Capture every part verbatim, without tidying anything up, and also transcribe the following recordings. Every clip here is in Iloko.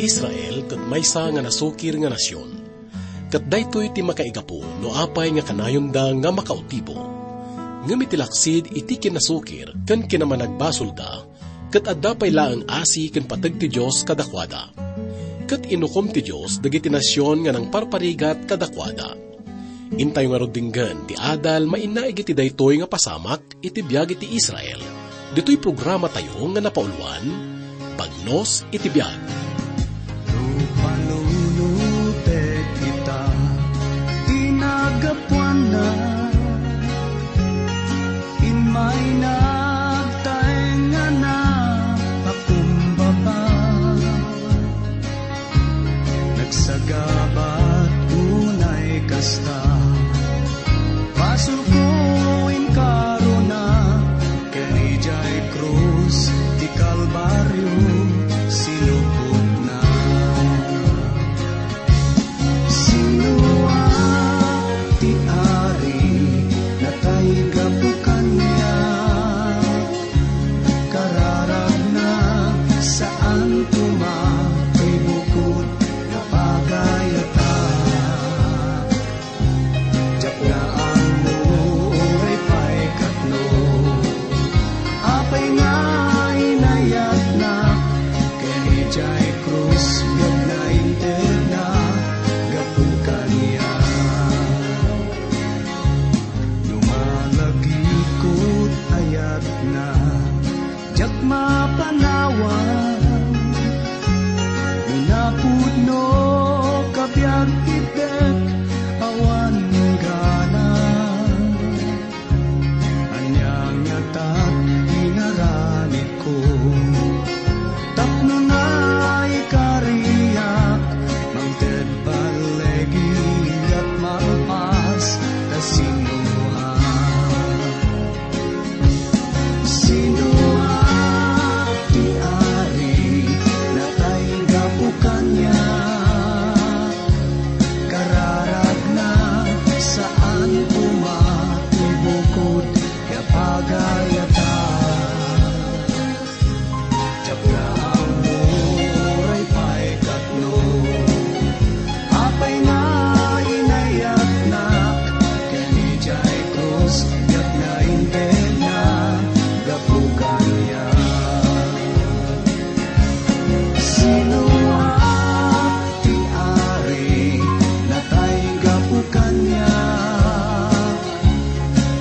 Israel ket maysa nga nasukir nga nasion. Ket daytoy ti makaigapu no apay nga kanayonda nga makautibo. Ngem iti laksid iti kinasukir ken kinamanagbasolda, ket adda pay laeng asi ken pateg ti Dios kadakuada. Ket inukom ti Dios dagiti nasion nga nangparparigat kadakuada. Intayo ngarud denggen ti adal mainaig iti daytoy nga pasamak iti biag iti Israel. Ditoy programa tayo nga napauluan, Bagnos iti Biag. No panunutek ita ti naggapuanna, immay nagtaeng a napakumbaba. Nagsagabat unay kasta, basolko inkarona, ken idiay krus ti Kalbario sinupotna. Sinoak ti Ari, natay gapu kaniak. Kararagna, saan koma ti bukod nga pagayatan. Diak nga ammo uray pay katno, apay nga inayatna, ken idiay krus biag nga intedna gapu kaniak. No malagipko ti ayatna, diak mapanawan. No napudno kabiag ti dek, awan gana. Ania ngatak inaramidko? Tapno naikariak, mangted ballegigak malpas ta sinoak. Sinoak ti Ari, natay gapu kaniak. Kararagna, saan koma ti bukod nga pagayatan. Diak nga ammo uray pay katno, apay nga inayatnak, ken idiay krus, diak nga intedna gapu kaniak. Sinoak ti Ari, natay gapu kaniak.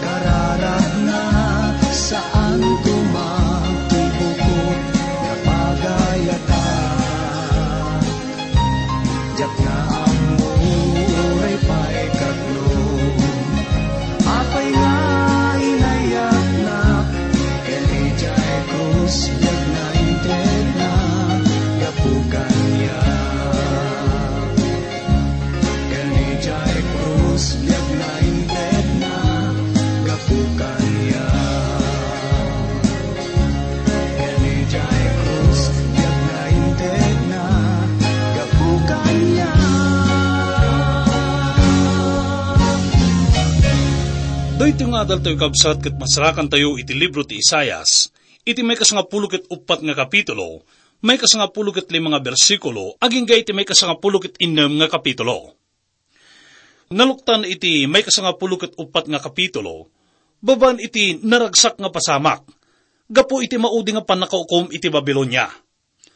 Kararagna, saan koma ti bukod nga pagayatan. Diak nga ammo uray pay katno, apay nga inayatnak, ken idiay krus, diak nga intedna gapu kaniak. Ken idiay krus, diak nga intedna gapu kaniak. Ken idiay krus, diak nga intedna gapu kaniak. Daytoy nga adaltayo, kabsat, ket masarakantayo iti libro ti Isaias, iti maikasangapulo ket uppat nga kapitulo, maikasangapulo ket lima nga bersikulo, agingga iti maikasangapulo ket innem nga kapitulo. Naluktan iti maikasangapulo ket uppat nga kapitulo, babaen iti naragsak nga pasamak, gapu iti maudi nga pannakaukom iti Babilonia.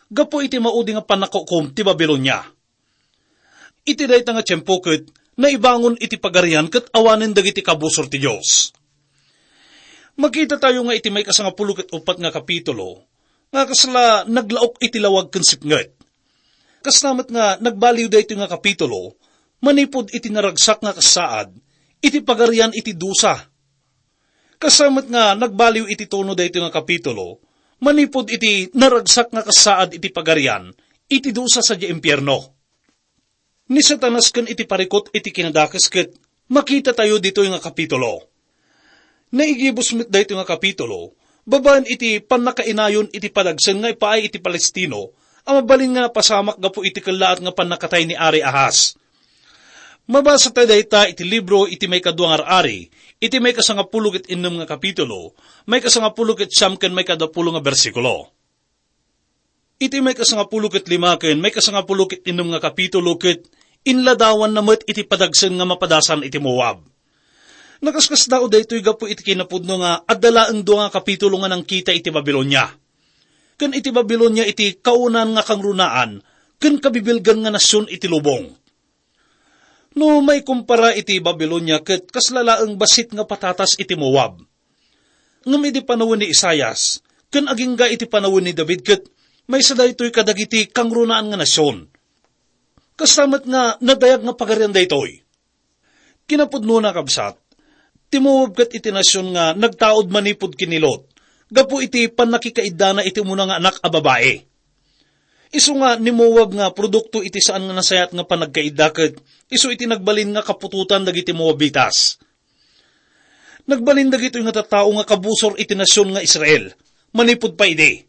Gapu iti maudi nga pannakaukom ti Babilonia. Iti dayta nga tiempo ket naibangon iti pagarian ket awanen dagiti kabusor ti Dios. Makitatayo nga iti maikasangapulo ket uppat nga kapitulo, nga kasla naglaok iti lawag ken sipnget. Kasta met nga nagbaliw daytoy nga kapitulo manipud iti naragsak nga kasaad iti pagarian iti dusa. Kasta met nga nagbaliw iti tono daytoy nga kapitulo manipud iti naragsak nga kasaad iti pagarian iti dusa sadiay impierno. Ni Satanas ken iti parikut iti kinadakes ket makitatayo ditoy nga kapitulo. Naigibus met daytoy nga kapitulo babaen iti pannakainayon iti padagsen nga ipaay iti Palestino a mabalin nga napasamak gapu iti kellaat nga pannakatay ni Ari Ahaz. Mabasatayo dayta iti libro iti maikadua nga ar-ari, iti maikasangapulo ket innem nga kapitulo, maikasangapulo ket siam ken maikadapulo nga bersikulo. Iti maikasangapulo ket lima ken maikasangapulo ket innem nga kapitulo ket inladawanna met iti padagsen nga mapadasan iti Moab. Nakaskasdaaw daytoy gapu iti kinapudno nga adda laeng dua nga kapitulo nga nangkita iti Babilonia. Ken iti Babilonia iti kaunaan nga kangrunaan ken kabibilgan nga nasion iti lubong. No maikumpara iti Babilonia ket kasla laeng bassit nga patatas iti Moab. Ngem idi panawen ni Isaias ken agingga iti panawen ni David ket maysa daytoy kadagiti kangrunaan nga nasion. Kasta met nga nadayag nga pagarian daytoy. Kinapudnona, kabsat, ti Moab ket iti nasion nga nagtaud manipud ken ni Lot gapu iti pannakikaiddana iti umuna nga anak a babai. Isu nga ni Moab nga produkto iti saan nga nasayaat nga panagkaidda ket isu iti nagbalin nga kaputotan dagiti Moabitas. Nagbalin dagitoy nga tattao nga kabusor iti nasion nga Israel manipud pay idi.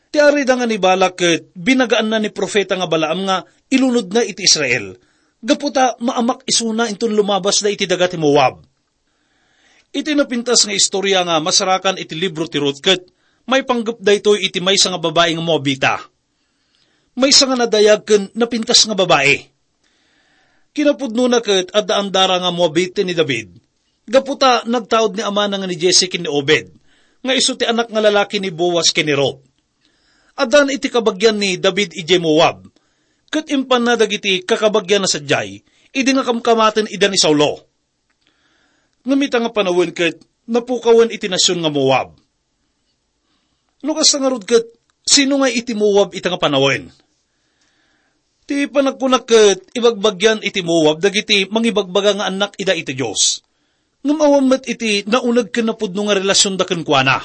Ti arida nga ni Balak ket binagaanna ni profeta nga Balaam nga ilunodna iti Israel, gapu ta maamak isuna inton lumabasda iti daga ti Moab. Iti napintas nga istorya nga masarakan iti libro ti Ruth ket maipanggep daytoy iti maysa nga babai nga Moabita. Maysa nga nadayag ken napintas nga babai. Kinapudnona ket adda andara nga Moabit ni David, gapu ta nagtaud ni amana nga ni Jesse ken ni Obed, nga isu ti anak nga lalaki ni Boaz ken ni Ruth. Addan iti kabagian ni David idiay Moab, ket impanna dagiti kakabagianna sadiay idi nga kamkamaten ida ni Saulo. Ngem ita nga panawen ket napukawen iti nasion nga Moab. No kasta ngarud ket, sino nga iti Moab ita nga panawen? Ti panagkunak ket ibagbagian iti Moab dagiti mangibagbaga nga annak ida iti Dios. Ngem awan met iti nauneg ken napudno nga relasionda kenkuana.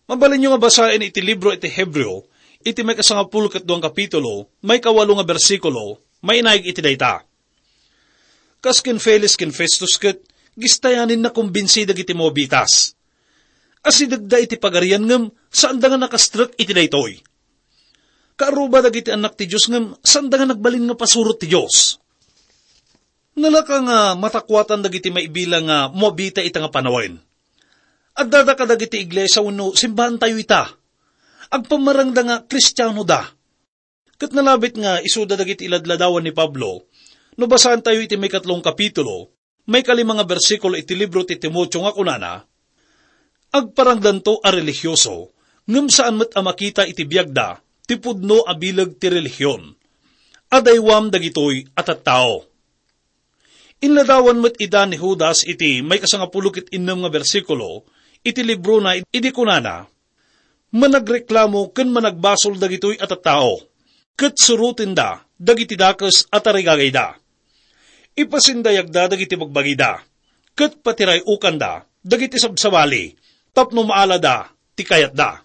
Mabalinyo nga basaen iti libro iti Hebreo, iti maikasangapulo ket duang kapitulo, maikawalo nga bersikulo, mainaig iti dayta. Kas ken Felix ken Festus ket, gistayanen nakumbinsi dagiti Moabitas. Asidegda iti pagarian ngem, saanda nga nakastrek iti daytoy. Kaaruba dagiti annak ti Dios ngem, saanda nga nagbalin nga pasurot ti Dios. Nalaka nga matakuatan dagiti maibilang nga Moabita ita nga panawen. Addada kadagiti iglesia wenno simbaantayo ita. Agpammarangda nga Kristianoda. Ket nalabit nga isuda dagiti iladladawan ni Pablo. No basaantayo iti maikatlong kapitulo, maikalima nga bersikulo iti libro ti Timoteo nga kunana, "Agparangdanto a relihioso, ngem saan met a makita iti biagda ti pudno a bileg ti relihion. Adaywam dagitoy a tattao." Inladawan met ida ni Judas iti maikasangapulo ket innem nga bersikulo iti librona idi kunana, "Managreklamo ken managbasol dagitoy a tattao, ket surotenda dagiti dakes a tarigagayda. Ipasindayagda dagiti bagbagida, ket patiray-okanda dagiti sabsabali tapno maalada ti kayatda."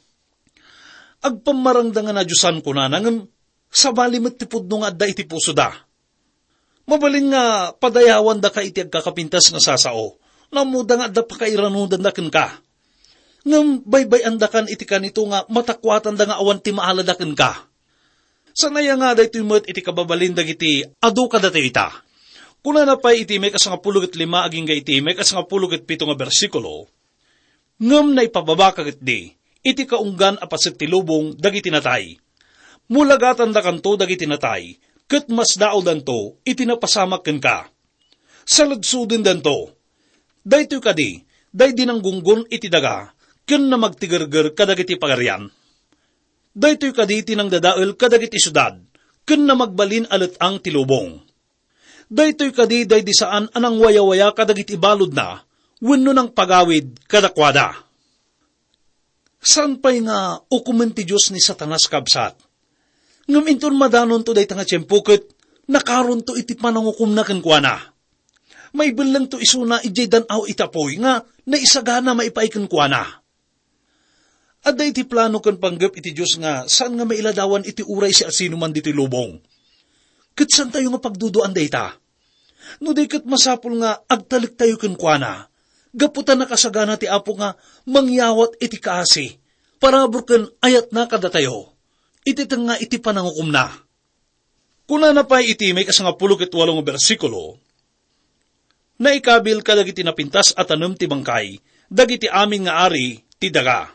Agpammarangda nga nadiosan kunana ngem sabali met ti pudno nga adda iti pusoda. Mabalin nga padayawandaka iti agkakapintas nga sasao. Nammoda nga adda pakairanudanda kenka. Ngem baybay-andakan iti kanito nga matakuatanda nga awan ti maalada kenka. Sanaya nga daytoy met iti kababalin dagiti adu kadatayo ita. Kunana pay iti maikasangapulo ket lima agingga iti maikasangapulo ket pito nga bersikulo, "Ngem naipababaka ketdi iti kaunggan a paset ti lubong dagiti natay. Mulagatandakanto dagiti natay, ket masdaawdanto iti napasamak kenka. Saludsodendento. Daytoy kadi, daydi nanggunggon iti daga, ken namagtigerger kadagiti pagarian. Daytoy kadi ti nangdadael kadagiti siudad, ken namagbalin a let-ang ti lubong. Daytoy kadi daydi saan a nangwayawaya kadagiti baludna wenno nangpagawid kadakuada." Saan pay nga ukomen ti Dios ni Satanas, kabsat? Ngem inton madanonto dayta nga tiempo ket nakaronto iti panangukomna kenkuana. Maibellengto isuna idiay dan-aw iti apuy nga naisagana maipaay kenkuana. Adda iti plano ken panggep iti Dios nga saan nga mailadawan iti uray siasinoman ditoy lubong. Ket saantayo nga pagduduan dayta. No di ket masapul nga agtalektayo kenkuana, gapu ta nakasagana ti Apo nga mangyawat iti kaasi, parabur ken ayatna kadatayo, iti tengnga iti panangukomna. Kunana pay iti maikasangapulo ket walo nga bersikulo, "Naikabil kadagiti napintas a tanem ti bangkay dagiti amin nga ari ti daga."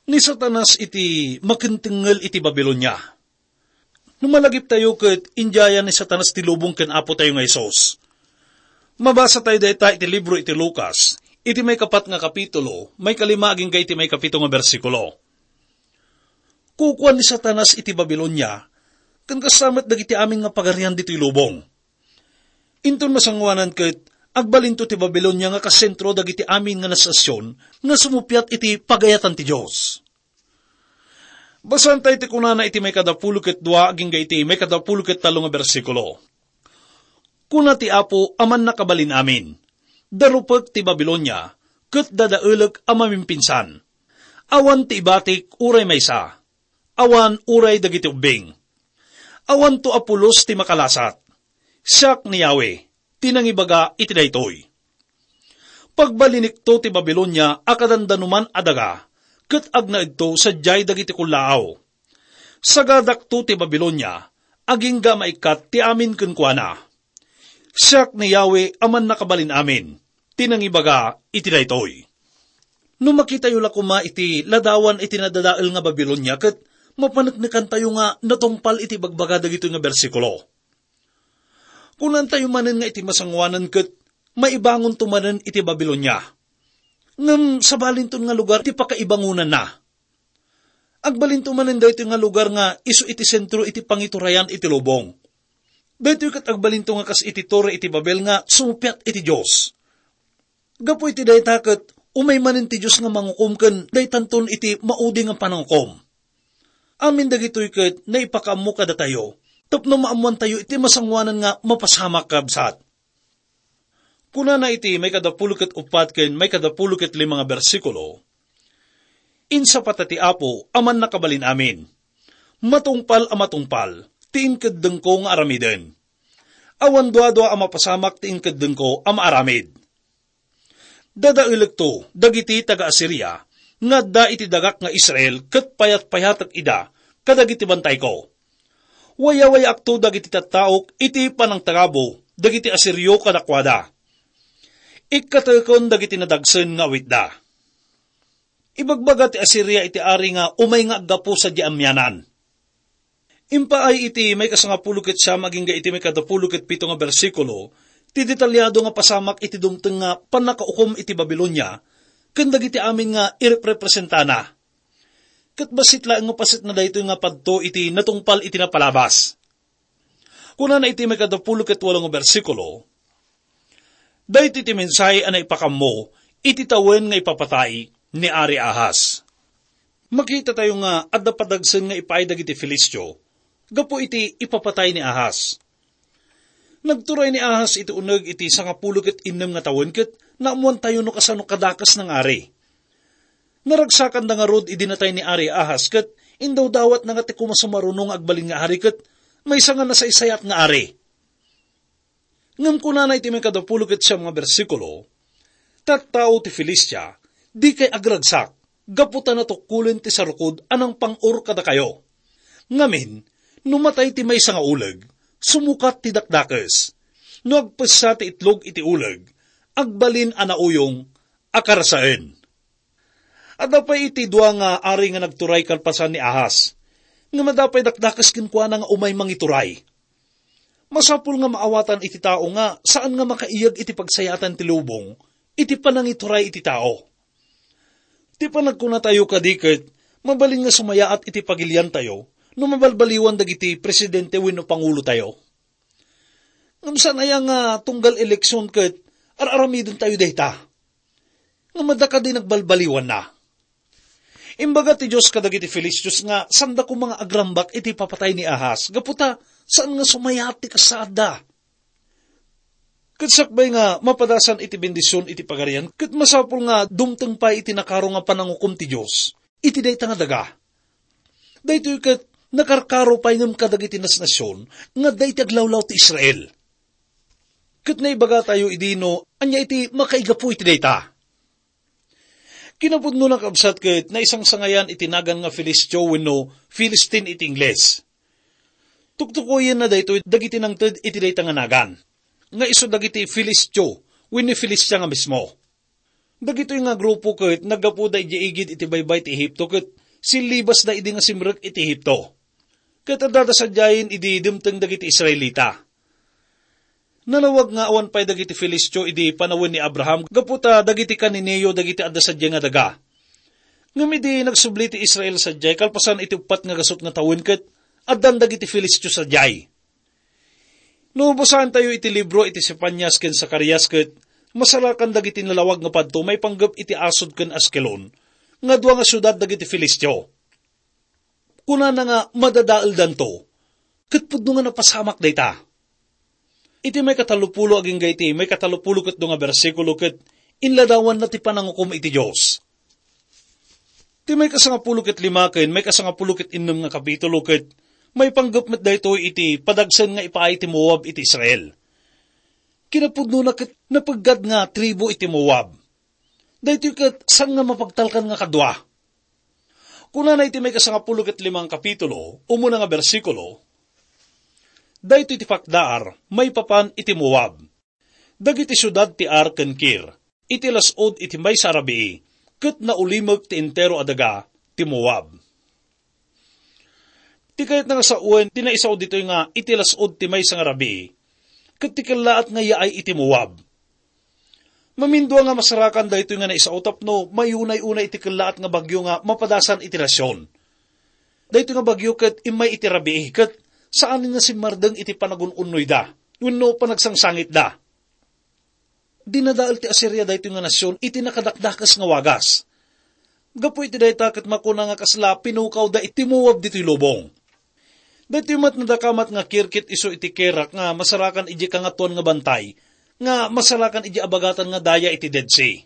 Ni Satanas iti makentengngel iti Babilonia. No malagiptayo ket indiayan ni Satanas ti lubong ken Apotayo nga Jesus. Mabasatayo dayta iti libro iti Lucas, iti maikapat nga kapitulo, maikalima agingga iti maikapito nga bersikulo. Kukuan ni Satanas iti Babilonia, ken kasta met dagiti amin nga pagarian ditoy lubong. Inton masangoanan ket, agbalinto ti Babilonia nga kasentro dagiti amin nga nasasion nga sumuppiat iti pagayatan ti Dios. Basaentayo ti kunana iti maikadapulo ket dua agingga iti maikadapulo ket tallo nga bersikulo. Kuna ti Apo a Mannakabalin-amin, "Darupek ti Babilonia, ket dadaelek a mamimpinsan. Awan ti ibatik uray maysa. Awan uray dagiti ubbing. Awanto a pulos ti makalasat. Siak ni Yahweh, ti nangibaga iti daytoy. Pagbalinikto ti Babilonia a kadandanuman a daga, ket agnaedto sadiay dagiti kullaaw. Sagadakto ti Babilonia, agingga maikkat ti amin kenkuana. Siak ni Yahweh a Mannakabalin-amin, ti nangibaga iti daytoy." No makitayo la koma iti ladawan iti nadadael nga Babilonia, ket mapaneknekantayo nga natungpal iti ibagbaga dagitoy nga bersikulo. Kunantayo manen nga iti masangoanan ket maibangonto manen iti Babilonia. Ngem sabalinton nga lugar ti pakaibangonanna. Agbalinto manen daytoy nga lugar nga isu iti sentro iti pangiturayan iti lubong. Daytoy ket agbalinto nga kas iti Torre iti Babel nga sumuppiat iti Dios. Gapu iti dayta ket umay manen ti Dios nga mangukom ken daytanton iti maudi nga panangukom. Amin dagitoy ket naipakaammo kadatayo tapno maammoantayo iti masangoanan nga mapasamak, kabsat. Kunana iti maikadapulo ket uppat ken maikadapulo ket lima nga bersikulo, "Insapata ti Apo a Mannakabalin-amin. Matungpal a matungpal ti inkeddengko nga aramiden. Awan duadua a mapasamak ti inkeddengko a maaramid. Dadaelekto dagiti taga-Asiria nga adda iti dagak nga Israel ket payatpayatek ida kadagiti bantayko. Wayawayaakto dagiti tattaok iti panangtagabo dagiti Asirio kadakuada. Ikkateken dagiti nadagsen nga awitda." Ibagbaga ti Asiria iti ari nga umay nga aggapu sadiay amianan. Impaay iti maikasangapulo ket siam agingga iti maikadapulo ket pito nga bersikulo ti detalyado nga pasamak iti dumteng nga pannakaukom iti Babilonia ken dagiti amin nga irepresentana. Ket bassit laeng nga paset na daytoy nga padto iti natungpal iti napalabas. Kunana iti maikadapulo ket walo nga bersikulo, "Daytoy ti mensahe a naipakammo iti tawen nga ipapatay ni Ari Ahaz." Makitatayo nga adda padagsen nga ipaay dagiti Filistio gapu iti ipapatay ni Ahaz. Nagturay ni Ahaz iti uneg iti sangapulo ket innem nga tawen ket naammoantayo no kasano kadakes nga ari. Naragsakanda ngarud idi natay ni Ari Ahaz ket indawdawatna nga ti kumasumaruno nga agbalin nga ari ket maysa nga nasaysayat nga ari. Ngem kunana iti maikadapulo ket siam nga bersikulo, "Tattao ti Filistia, dikay agragsak, gapu ta natukkolen ti sarukod a nangpang-or kadakayo. Ngamin, no matay ti maysa nga uleg, sumukat ti dakdakes. No agpessa ti itlog iti uleg, agbalin a nauyong a karasaen." Adda pay iti dua nga ari nga nagturay kalpasan ni Ahaz, ngem adda pay dakdakes kenkuana nga umay mangituray. Masapul nga maawatan iti tao nga saan nga makaiyeg iti pagsayaatan ti lubong iti panangituray iti tao. Ti panagkunatayo kadi ket mabalin nga sumayaat iti pagiliantayo no mabalbaliwan dagiti presidente wenno pangulotayo. Ngem saan aya nga tunggal eleksion ket ar-aramidentayo dayta? Ngem adda kadi nagbalbaliwanna? Imbaga ti Dios kadagiti Filistios nga saanda koma nga agrambak iti papatay ni Ahaz, gapu ta saan nga sumayaat ti kasaadda. Ket sakbay nga mapadasan iti bendision iti pagarian, ket masapul nga dumteng pay iti nakaro nga panangukom ti Dios iti dayta nga daga. Daytoy ket nakarkaro pay ngem kadagiti nasnasion nga adda iti aglawlaw ti Israel. Ket naibagatayo idi no ania iti makaigapu iti dayta. Kinapudno, nakabsat, ket naisangsangayan iti nagan nga Filistio wenno Philistine iti Ingles. Tuktukoyenna daytoy dagiti nangted iti dayta nga nagan, nga isu dagiti Filistio wenno Filistia nga mismo. Dagitoy nga grupo ket naggapuda idiay igid iti baybay ti Ehipto ket sillibasda idi nga simrek iti Ehipto. Ket addada sadiayen idi dimteng dagiti Israelita. Nalawag nga awan pay dagiti Filistio idi panawen ni Abraham gapu ta dagiti Cananeo dagiti adda sadiay nga daga. Ngem idi nagsubli ti Israel sadiay kalpasan iti uppat nga gasut nga tawen ket addan dagiti Filistio sadiay. No basaentayo iti libro iti Sefanias ken Zacarias ket masarakan dagiti nalawag nga padto maipanggep iti Asdod ken Askelon, nga dua nga siudad dagiti Filistio. Kunana nga madadaeldanto, ket pudno nga napasamak dayta. Iti maikatallopulo agingga iti maikatallopulo ket dua nga bersikulo ket inladawanna ti panangukom iti Dios. Ti maikasangapulo ket lima ken maikasangapulo ket innem nga kapitulo ket maipanggep met daytoy iti padagsen nga ipaay ti Moab iti Israel. Kinapudnona ket napeggad nga tribu iti Moab. Daytoy ket saan nga mapagtalkan nga kadua. Kunana iti maikasangapulo ket lima nga kapitulo, umuna nga bersikulo, "Daytoy ti pakdaar maipapan iti Moab. Dagiti siudad ti Ar ken Kir, iti las-ud iti maysa a rabii, ket naulimek ti entero a daga ti Moab." Ti kayatna nga sawen ti naisao ditoy nga iti las-ud ti maysa nga rabii, ket ti kellaat nga yaay iti Moab. Mamindua nga masarakan daytoy nga naisao tapno mayunay-unay iti kellaat nga bagyo nga mapadasan iti nasion. Daytoy nga bagyo ket immay iti rabii ket saanen nga simmardeng iti panagun-unnoyda wenno panagsangsangitda. Dinadael ti Asiria daytoy nga nasion iti nakadakdakes nga wagas. Gapu iti dayta ket makuna nga kasla pinukawda iti Moab ditoy lubong. Daytoy met nadakamat nga kirkit isu iti Kerak nga masarakan idiay Kangatoan nga Bantay, nga masarakan idiay abagatan nga daya iti Dead Sea.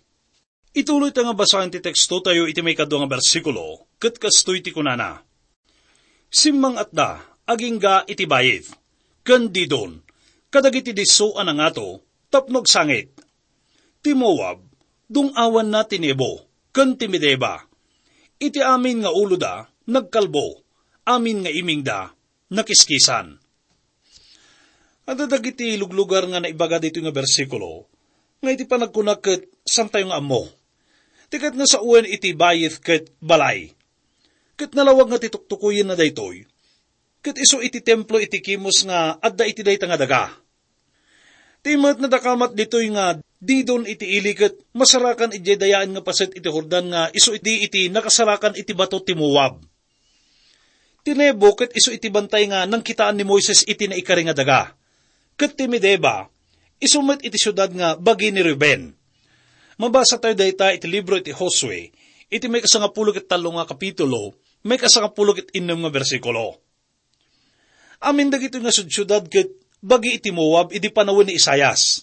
Ituloyta nga basaen ti tekstotayo iti maikadua nga bersikulo, ket kastoy ti kunana, "Simmang-atda agingga iti Baith ken Didon kadagiti disso a nangato tapno agsangit. Ti Moab, dung-awanna ti Nebo ken ti Medeba. Iti amin nga uloda, nagkalbo, amin nga imingda, nakiskisan." Adda dagiti luglugar nga naibaga ditoy nga bersikulo, nga iti panagkuna ket santayo nga ammo. Ti ket nga sawen iti Baith ket balay. Ket nalawag nga ti tuktukoyenna daytoy. Ket isu iti templo iti Kemos nga adda iti dayta nga daga. Ti met nadakamat ditoy nga Didon iti ili ket masarakan idiay dayaen nga paset iti Jordan nga isu iti, iti nakasarakan iti bato ti Moab. Ti Nebo ket isu iti bantay nga nangkitaan ni Moises iti naikari nga daga. Ket ti Medeba, isu met iti siudad nga bagi ni Ruben. Mabasatayo dayta iti libro iti Josue, iti maikasangapulo ket tallo nga kapitulo, maikasangapulo ket innem nga bersikulo. Amin dagitoy nga sudsiudad ket bagi iti Moab idi panawen ni Isaias.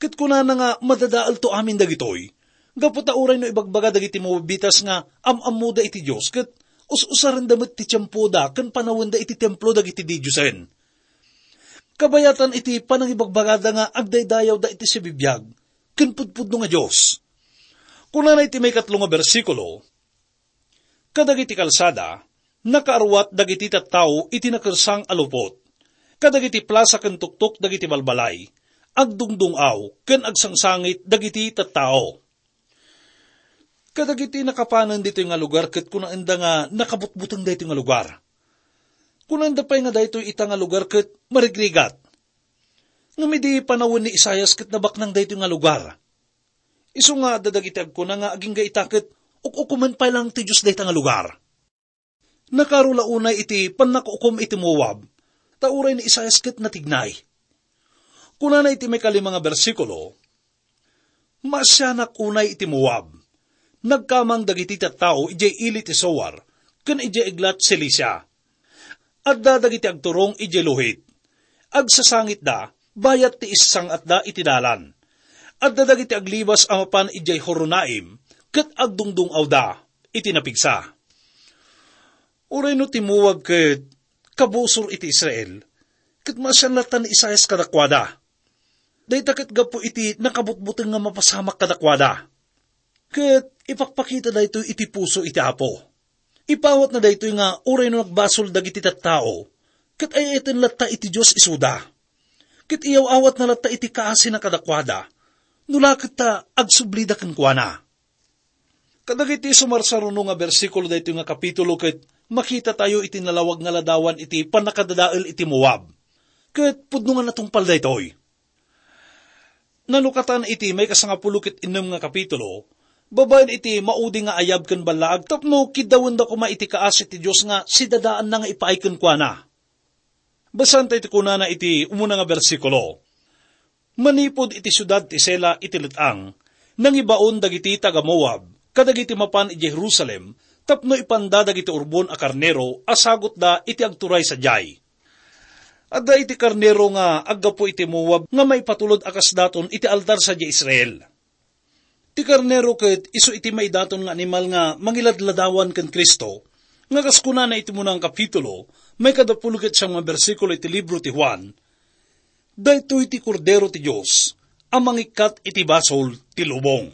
Ket kunana nga madadaelto amin dagitoy, gapu ta uray no ibagbaga dagiti Moabitas nga am-ammoda iti Dios ket us-usarenda met ti tiempoda ken panawenda iti templo dagiti didiosen. Kabayatan iti panangibagbagada nga agdaydayawda iti sibibiag ken pudpudno nga Dios. Kunana iti maikatlo nga bersikulo, "Kadagiti kalsada, nakaarwat dagiti tattao iti nakersang a lupot. Kadagiti plasa ken tuktok dagiti balbalay, agdungdung-aw ken agsangsangit dagiti tattao." Kadagiti nakapanen ditoy nga lugar ket kunaenda nga nakabutbuteng daytoy nga lugar. Kunaenda pay nga daytoy ita nga lugar ket marigrigat. Ngem idi panawen ni Isaias ket nabaknang daytoy nga lugar. Isu nga adda dagiti agkuna nga agingga ita ket uk-ukomen pay lang ti Dios dayta nga lugar. Nakaaro la unay iti pannakukom iti Moab, ta uray ni Isaias ket natignay. Kunana iti maikalima nga bersikulo, "Maasianak unay iti Moab. Nagkamang dagiti tattao idiay ili ti Soar ken idiay Eglat Cilicia. Adda dagiti agturong idiay Luhit. Agsasangitda, bayat ti issang-atda iti dalan. Adda dagiti aglibas a mapan idiay Horonaim, ket agdungdung-awda iti napigsa." Uray no ti Moab ket kabusor iti Israel, ket maasian latta ni Isaias kadakuada. Dayta ket gapu iti nakabutbuteng nga mapasamak kadakuada. Ket ipakpakita daytoy iti puso iti Apo. Ipawatna daytoy nga uray no nagbasol dagiti tattao, ket ay-ayaten latta iti Dios isuda. Ket iyaw-awatna latta iti kaasina kadakuada, no la ket ta agsublida kenkuana. Kadagiti sumarsaruno nga bersikulo daytoy nga kapitulo ket makitatayo iti nalawag nga ladawan iti pannakadadael iti Moab. Ket pudno nga natungpal daytoy. Nalukatan iti maikasangapulo ket innem nga kapitulo, babaen iti maudi nga ayab ken ballaag tapno kiddawenda koma iti kaasi ti Dios nga sidadaanna nga ipaay kenkuana. Basaentayo ti kunana iti umuna nga bersikulo. Manipud iti siudad ti Sela iti let-ang, nangibaon dagiti taga-Moab kadagiti mapan idiay Jerusalem tapno ipanda dagiti urbon a karnero a sagutda iti agturay sadiay. Adda iti karnero nga aggapu iti Moab nga maipatulod a kas daton iti altar sadiay Israel. Ti karnero ket isu iti maidaton nga animal nga mangiladladawan ken Cristo, nga kas kunana iti munang kapitulo, maikadapulo ket siam nga bersikulo iti libro ti Juan, "Daytoy ti Kordero ti Dios a mangikkat iti basol ti lubong."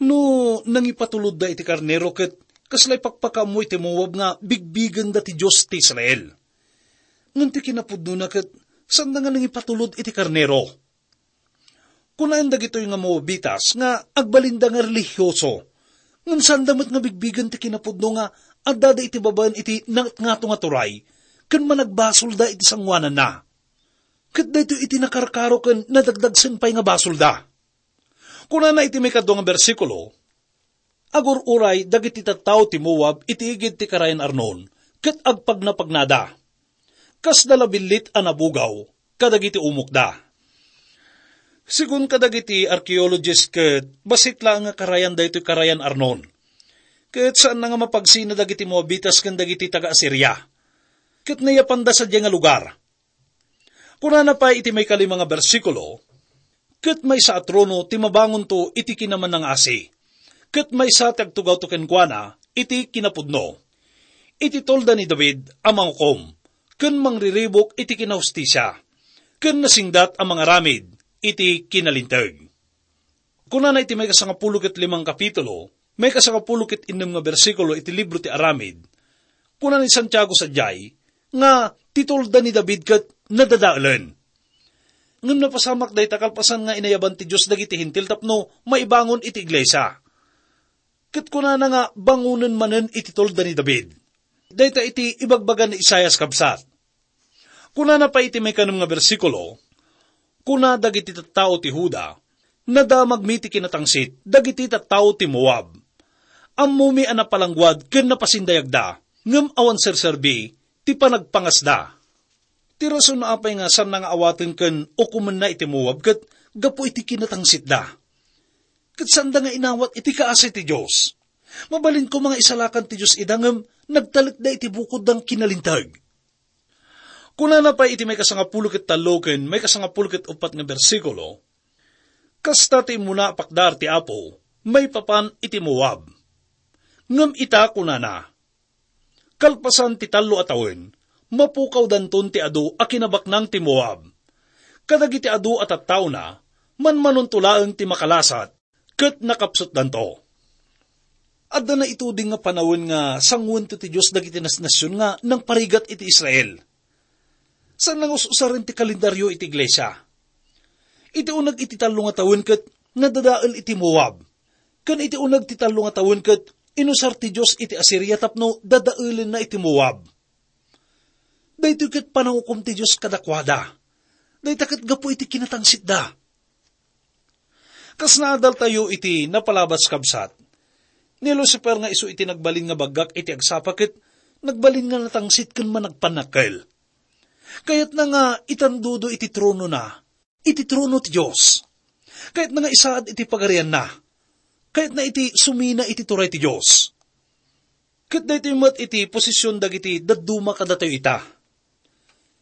No nangipatulodda iti karnero ket kasla ipakpakaammo iti Moab nga bigbigenda ti Dios ti Israel. Ngem ti kinapudnona ket sanda nga nangipatulod iti karnero. Kunaen dagitoy nga Moabitas nga agbalinda nga relihioso, ngem saanda met nga bigbigen ti kinapudno nga addada iti babaen iti nangatngato nga turay ken managbasolda iti sangoananna. Ket daytoy iti nakarkaro ken nadagdagsen pay nga basolda. Kunana iti maikadua nga bersikulo, "Agur-uray dagiti tattao ti Moab iti igid ti karayan Arnon, ket agpagnapagnada. Kasda la billit a nabugaw kadagiti umokda." Sigun kadagiti archaeologist ket bassit laeng nga karayan daytoy karayan Arnon. Ket saanna nga mapagsina dagiti Moabitas ken dagiti taga-Asiria. Ket nayapanda sadiay nga lugar. Kunana pay iti maikalima nga bersikulo, "Ket maysa a trono ti mabangonto iti kinamannangaasi, ket maysa ti agtugawto kenkuana iti kinapudno. Iti tolda ni David a mangukom, ken mangriribuk iti kinahustisia, ken nasingdat a mangaramid iti kinalinteg." Kunana iti maikasangapulo ket limang kapitulo, maikasangapulo ket innem nga bersikulo iti libro ti Aramid, kuna ni Santiago sadiay nga ti tolda ni David ket nadadaelen. Ngem napasamak dayta kalpasan nga inayaban ti Dios dagiti Hentil tapno maibangon iti iglesia. Ket kunana nga bangonen manen iti tolda ni David. Dayta iti ibagbaga ni Isaias, kabsat. Kunana pay iti maikanem nga bersikulo, "Kuna dagiti tattao ti Juda, 'Nadamagmi ti kinatangsit dagiti tattao ti Moab. Ammomi a napalangguad ken napasindayagda, ngem awan serserbi ti panagpangasda.'" Ti rason no apay nga saanna nga awaten ken ukomenna iti Moab ket gapu iti kinatangsitda. Ket saanda nga inawat iti kaasi ti Dios. Mabalin koma nga isalakan ti Dios ida ngem nagtalekda iti bukodda nga kinalinteg. Kunana pay iti maikasangapulo ket tallo ken maikasangapulo ket uppat nga bersikulo, "Kasta ti immuna a pakdar ti Apo maipapan iti Moab. Ngem ita," kunana, "kalpasan ti tallo a tawen, mapukawdanton ti adu a kinabaknang ti Moab. Kadagiti adu a tattaona, manmanonto laeng ti makalasat, ket nakapsutdanto." Adda naituding nga panawen nga sanguento ti Dios dagiti nasnasion nga nangparigat iti Israel. Saan nga us-usaren ti kalendario iti iglesia. Iti uneg iti tallo nga tawen ket nadadael iti Moab. Ken iti uneg ti tallo nga tawen ket inusar ti Dios iti Asiria tapno dadaelenna iti Moab. Daytoy ket panangukom ti Dios kadakuada. Dayta ket gapu iti kinatangsitda. Kas naadaltayo iti napalabas, kabsat, ni Lucifer nga isu iti nagbalin nga baggak iti agsapa ket nagbalin nga natangsit ken managpannakkel. Kayatna nga itandudo iti tronona, iti trono ti Dios. Kayatna nga isaad iti pagarianna. Kayatna iti sumina iti turay ti Dios. Ket daytoy met iti posisyon dagiti dadduma kadatayo ita.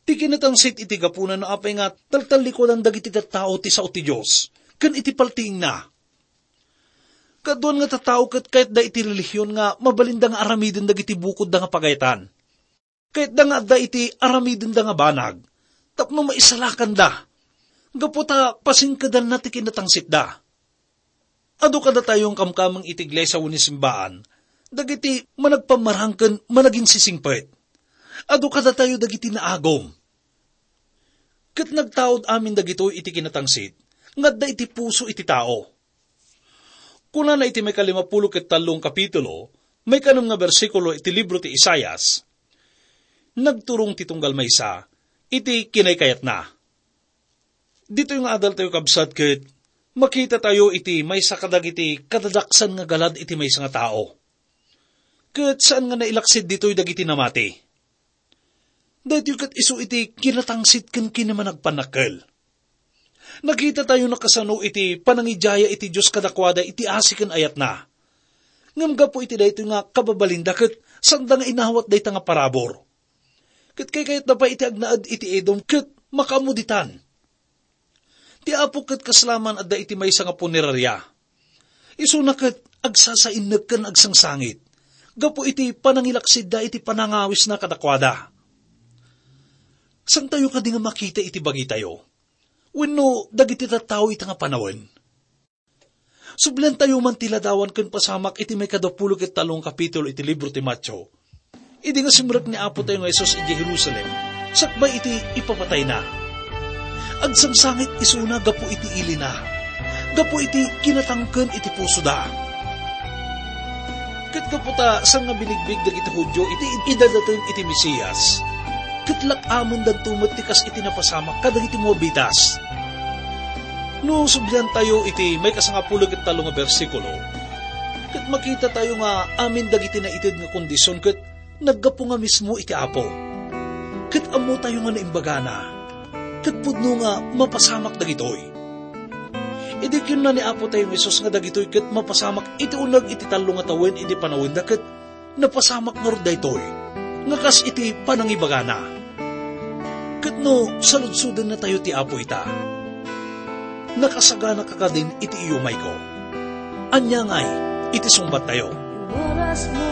Ti kinatangsit iti gapuna no apay nga taltallikudan dagiti tattao ti sao ti Dios ken iti paltiingna. Kaduan nga tattao ket kayatda iti relihion nga mabalinda nga aramiden dagiti bukodda nga pagayatan. Kayatda nga adda iti aramidenda nga banag tapno maisalakanda, gapu ta pasingkedanna ti kinatangsitda. Adu kadatayo nga kamkameng iti iglesia wenno simbaan dagiti managpammarang ken managinsisingpet. Adu kadatayo dagiti naagum. Ket nagtaud amin dagitoy iti kinatangsit, nga adda iti puso iti tao. Kunana iti maikalimapulo ket tallo nga kapitulo, maikanem nga bersikulo iti libro ti Isaias, nagturong ti tunggal maysa iti kinaykayatna. Ditoy nga adaltayo, kabsat, ket makitatayo iti maysa kadagiti kadadaksan nga galad iti maysa nga tao. Ket saan nga nailaksid ditoy dagiti namati. Daytoy ket isu iti kinatangsit ken kinamanagpannakkel. Nakitatayo nakasano iti panangidiaya iti Dios kadakuada iti asi ken ayatna. Ngem gapu iti daytoy nga kababalinda ket sanda nga inawat dayta nga parabur. Ket kaykayatda pay iti agnaed iti Edom ket makaammo ditan. Ti Apo ket kasla man adda iti maysa nga puneraria. Isuna ket agsasainnek ken agsangsangit gapu iti panangilaksidda iti panangawisna kadakuada. Saantayo kadi nga makita iti bagitayo wenno dagiti tattao ita nga panawen? Subliantayo man ti ladawan ken pasamak iti maikadapulo ket tallo nga kapitulo iti libro ti Mateo. Idi nga simrek ni Apo tayo nga Jesus idiay Jerusalem, sakbay iti ipapatayna, agsangsangit isuna gapu iti ilina, gapu iti kinatangken iti pusoda. Ket gapu ta saan nga binigbig dagiti Judio iti idadateng iti Mesias, ket lak-amendanto met ti kas iti napasamak kadagiti Moabitas. No subliantayo iti maikasangapulo ket tallo nga bersikulo, ket makitatayo nga amin dagiti naited nga kondision ket naggapu nga mismo iti Apo. Ket ammotayo nga naimbagana, ket pudno nga mapasamak dagitoy. Idi kinuna ni Apo tayo nga Jesus nga dagitoy ket mapasamak iti uneg iti tallo nga tawen idi panawenda, ket napasamak ngarud daytoy nga kas iti panangibagana. Ket no saludsodennatayo ti Apo ita, nakasagana ka kadin iti iyumayko. Ania ngay iti sungbattayo? Oras mo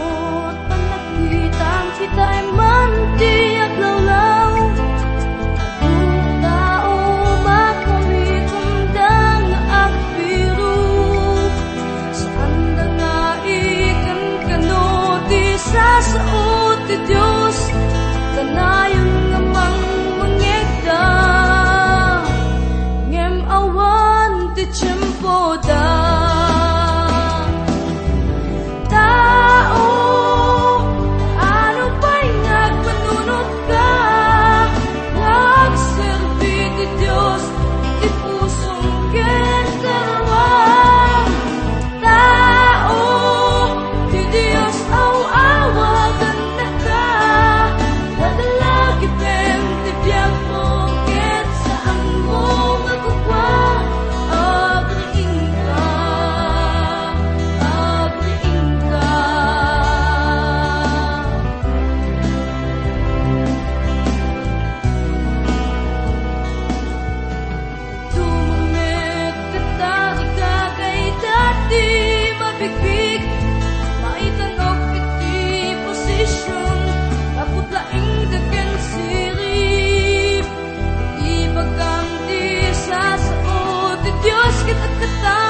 at panagkitang kitay man ti aglawlaw. Tao makaritumda nga agbiro. Saanda nga ikankano ti sasao ti Dios, kanayon nga mangmangngegda, ngem awan ti tiempoda. Tao, ano pay nga agpanunotka nga agserbi ti Dios iti pusom ken karuam? Tao, ti Dios aw-awaten daka, nadalagipem ti biagmo, ket saanmo nga kukua, agriingka, agriingka. Tumangmed ket adda dayta ti mabigbig, maitanok iti posision, taput laeng daken sirib. Ibagam ti sasao ti Dios ket agkata